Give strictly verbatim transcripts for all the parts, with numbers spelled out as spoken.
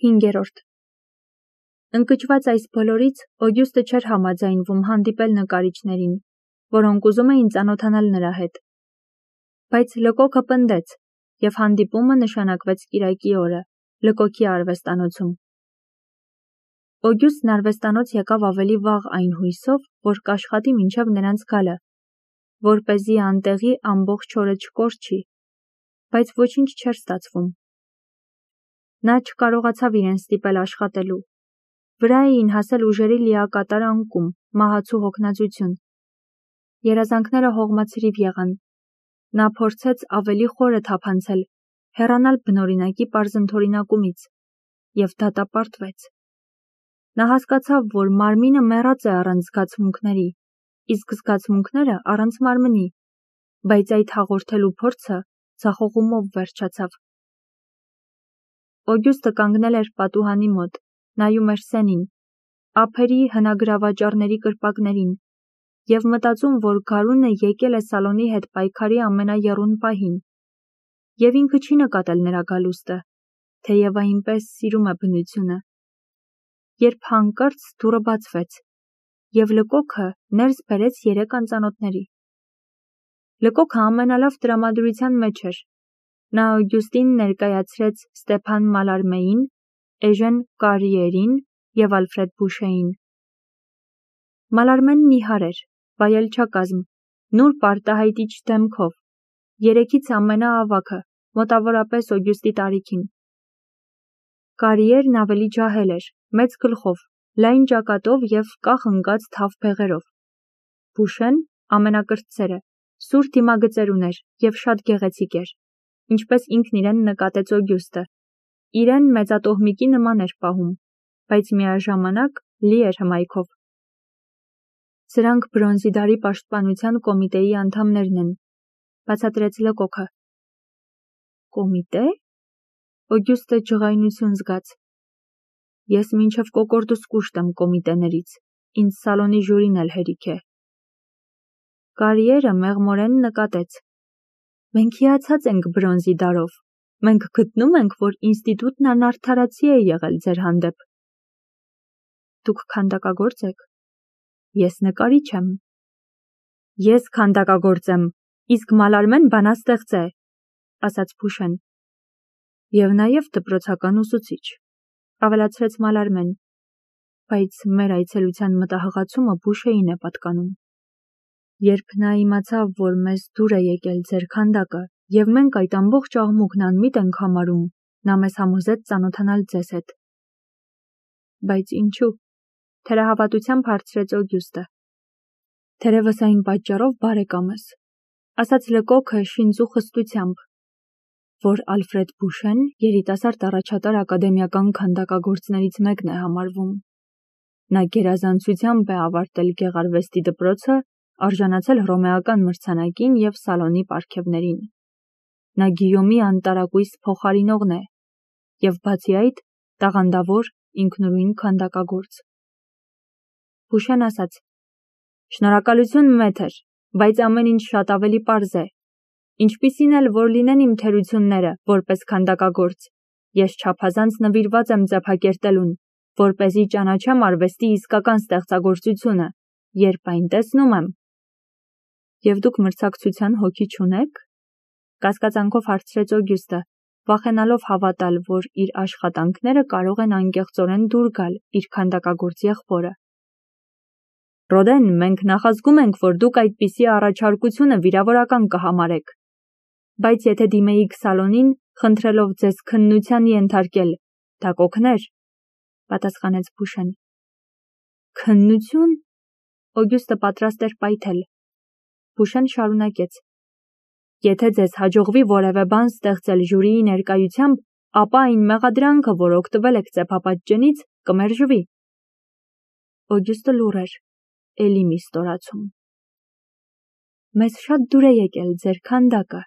հինգերորդ Ընկճված այս բոլորից Օգյուստը չէր համաձայնվում հանդիպել նկարիչներին, որոնք ուզում էին ծանոթանալ նրա հետ։ Բայց Լկոքը պնդեց, և հանդիպումը նշանակվեց կիրակի օրը, Լկոքի արվեստանոցում։ Օգյուստն արվեստանոց եկավ ավելի վաղ այն հույսով, որ կաշխատի մինչև նրանց գալը, որպեսզի անտեղի ամբողջ օրը չկորչի, բայց ոչինչ չէր ստացվում։ Նա չկարողացավ իրեն ստիպել աշխատելու։ Վրա էին հասել ուժերի լիակատար անկում, մահացու հոգնածություն։ Երազանքները հողմացրիվ եղան։ Նա փորձեց ավելի խորը թափանցել, հեռանալ բնօրինակի պարզընթորինակումից, և դատապարտվեց։ Նա հասկացավ, որ մարմինը մեռած է առանց զգացմունքների, իսկ զգացմունքները առանց մարմնի, բայց այդ հաղորդելու փորձը ձախողումով վերջացավ։ Օգյուստը կանգնել էր պատուհանի մոտ, նայում էր սենին, ափերի հնագրավաճառների կրպակներին, և մտածում, որ գարունը եկել է Սալոնի հետ պայքարի ամենաեռուն պահին, և ինքը չի նկատել նրա գալուստը, թեև այնպես սիրում է բնությունը։ Երբ հանկարծ դուռը բացվեց, և Լկոքը ներս բերեց երեք անծանոթների։ Լկոքը ամենալավ տրամադրության մեջ էր։ Նա Օգյուստին ներկայացրեց Ստեփան Մալարմեին, Էժեն Կարիերին և Ալֆրեդ Բուշեին։ Մալարմեն նիհար էր, վայելչակազմ, նուրբ արտահայտիչ դեմքով, երեքից ամենաավագը, մոտավորապես Օգյուստի տարիքին։ Կարիերն ավելի ջահել էր, մեծ գլխով, լայն ճակատով և կախ ընկած թավ բեղերով։ Բուշեն ամենակրտսերը, սուր դիմագծեր ուներ և շատ գեղեցիկ էր, ինչպես ինքն իրեն նկատեց Օգյուստը, իրեն մեծատոհմիկի նման էր պահում, բայց միաժամանակ լի էր հմայքով։ Սրանք բրոնզի դարի պաշտպանության կոմիտեի անդամներն են, բացատրեց Լկոքը։ Կոմիտե՞։ Օգյուստը ջղայնություն զգաց։ Ես մինչև կոկորդս կուշտ եմ կոմիտեներից, ինձ Սալոնի ժյուրին էլ հերիք է։ Կարիերը մեղմորեն նկատեց. Մենք հիացած ենք բրոնզի դարով, մենք գտնում ենք, որ ինստիտուտն անարդարացի է եղել ձեր հանդեպ։ Դուք քանդակագործ եք։ Ես նկարիչ եմ։ Ես քանդակագործ եմ, իսկ Մալարմեն բանաստեղծ է, ասաց Բուշեն։ Եվ նաև դպրոցական ուսուցիչ, ավելացրեց Մալարմեն, բայց մեր այցելության մտահղացումը Բուշեին է պատկանում։ Երբ նա իմացավ, որ մեզ դուր է եկել ձեր քանդակը, և մենք այդ ամբողջ աղմուկն անմիտ ենք համարում, նա մեզ համոզեց ծանոթանալ ձեզ հետ։ Բայց ինչու՞, թերահավատությամբ հարցրեց Օգյուստը։ Թերևս այն պատճառով բարեկամ ես, ասաց Լկոքը շինծու խստությամբ, որ Ալֆրեդ Բուշեն երիտասարդ առաջատար ակադեմիական քանդակագործներից մեկն է համարվում։ Նա գերազանցությամբ է ավարտել գեղարվեստի դպրոցը, արժանացել հռոմեական մրցանակին և Սալոնի պարգևներին։ Նա Գիյոմի անտարակույս փոխարինողն է և բացի այդ տաղանդավոր ինքնուրույն քանդակագործ։ Բուշեն ասաց. Շնորհակալություն մեթր, բայց ամեն ինչ շատ ավելի պարզ է։ Ինչպիսին էլ որ լինեն իմ թերությունները, որպես քանդակագործ, ես չափազանց նվիրված եմ ձեփակերտելուն, որպեսզի ճանաչեմ արվեստի իսկական ստեղծագործությունը, երբ այն տեսնում եմ։ Եվ դուք մրցակցության հոգի չունե՞ք։ Կասկածանքով հարցրեց Օգյուստը, վախենալով հավատալ, որ իր աշխատանքները կարող են անկեղծորեն դուր գալ իր քանդակագործ եղբորը։ Ռոդեն, մենք նախազգում ենք, որ դուք այդպիսի առաջարկությունը վիրավորական կհամարեք։ Բայց եթե դիմեիք Սալոնին, խնդրելով ձեզ քննության ենթարկել, դա կօգներ, պատասխանեց Բուշեն։ Քննություն։ Օգյուստը պատրաստ էր պայթել։ Բուշեն շարունակեց. Եթե ձեզ հաջողվի որևէ բան ստեղծել ժյուրիի ներկայությամբ, ապա այն մեղադրանքը, որ օգտվել եք ծեփապատճենից, կմերժվի։ Օգյուստը լուռ էր, էլի մի ստորացում։ Մեզ շատ դուր է եկել ձեր քանդակը,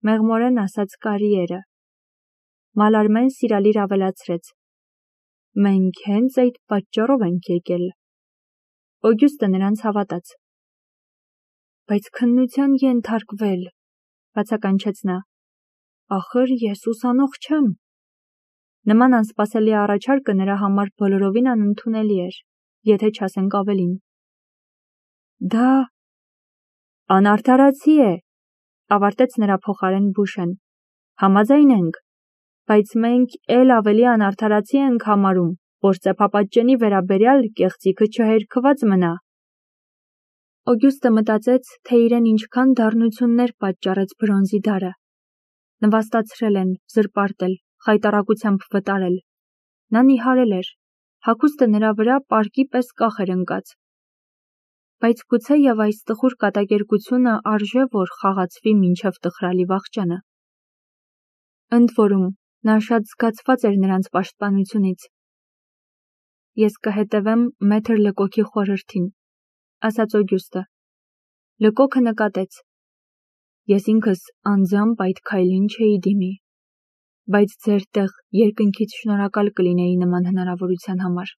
մեղմորեն ասաց Կարիերը։ Մալարմեն սիրալիր ավելացրեց. Մենք հենց այդ պատճառով ենք եկել։ Օգյուստը նրանց հավատաց։ Բայց քննության ենթարկվել, բացականչեց նա, ախր ես ուսանող չեմ։ Նման անսպասելի առաջարկը նրա համար բոլորովին անընդունելի էր, եթե չասենք ավելին։ Դա անարդարացի է, ավարտեց նրա փոխարեն Բուշեն։ Համաձայն ենք, բայց մենք էլ ավելի անարդարացի ենք համարում, որ ծեփապատճենի վերաբերյալ կեղծիքը չհերքված մնա։ Օգյուստը մտածեց, թե իրեն ինչքան դառնություններ պատճառեց բրոնզի դարը։ Նվաստացրել են, զրպարտել, խայտառակությամբ վտարել։ Նա նիհարել էր, հագուստը նրա վրա պարկի պես կախ էր ընկած։ Բայց գուցե և այս տխուր կատակերգությունը արժե, որ խաղացվի մինչև տխրալի վախճանը։ Ընդ որում, նա շատ զգացված էր նրանց պաշտպանությունից։ Ես կհետևեմ մեթր Լկոքի խորհրդին, ասաց Օգյուստը։ Լկոքը նկատեց. Ես ինքս անձամբ այդ քայլին չէի դիմի, բայց ձեր տեղ երկնքից շնորհակալ կլինեի նման հնարավորության համար։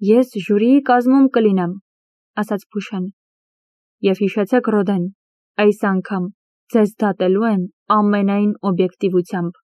Ես ժյուրիի կազմում կլինեմ, ասաց Բուշեն, և հիշեցեք, Ռոդեն, այս անգամ ձեզ դատելու են ամենայն օբյեկտիվությամբ։